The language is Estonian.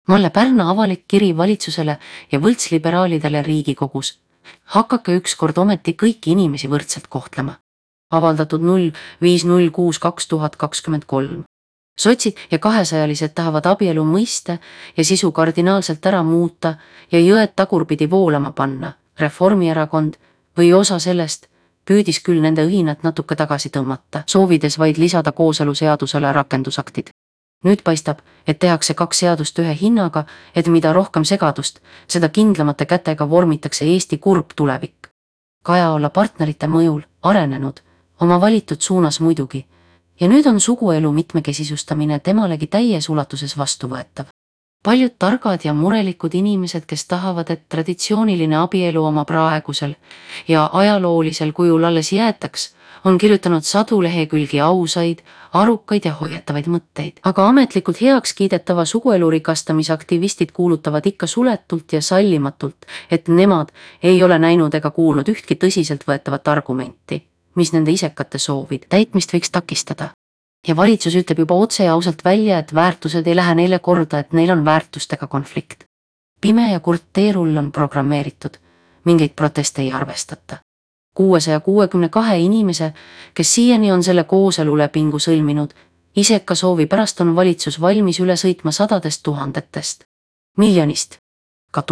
Mulle Pärna avalik kiri valitsusele ja võltsliberaalidele Riigikogus. Hakake ükskord ometi kõiki inimesi võrdselt kohtlema. Avaldatud 05.06.2023. Sotsid ja kahesajalised tahavad abielu mõiste ja sisu kardinaalselt ära muuta ja jõed tagurpidi voolama panna. Reformierakond või osa sellest püüdis küll nende õhinat natuke tagasi tõmmata, soovides vaid lisada kooseluseadusele rakendusaktid. Nüüd paistab, et tehakse 2 seadust ühe hinnaga, et mida rohkem segadust, seda kindlamate kätega vormitakse Eesti kurb tulevik. Kaja olla partnerite mõjul arenenud, oma valitud suunas muidugi, ja nüüd on suguelu mitmekesisustamine temalegi täies ulatuses vastuvõetav. Paljud targad ja murelikud inimesed, kes tahavad, et traditsiooniline abielu oma praegusel ja ajaloolisel kujul alles jäetaks, on kirjutanud sadu lehekülgi ausaid, arukaid ja hoiatavaid mõtteid. Aga ametlikult heaks kiidetava suguelu rikastamisaktivistid kuulutavad ikka suletult ja sallimatult, et nemad ei ole näinud ega kuulnud ühtki tõsiseltvõetavat argumenti, mis nende isekate soovid täitmist võiks takistada. Ja valitsus ütleb juba otse ja ausalt välja, et väärtused ei lähe neile korda, et neil on väärtustega konflikt. Pime ja kurt teerull on programmeeritud, mingeid proteste ei arvestata. 662 inimese, kes siiani on selle kooselulepingu sõlminud, iseka soovi pärast on valitsus valmis üle sõitma sadadest tuhandetest, miljonist ka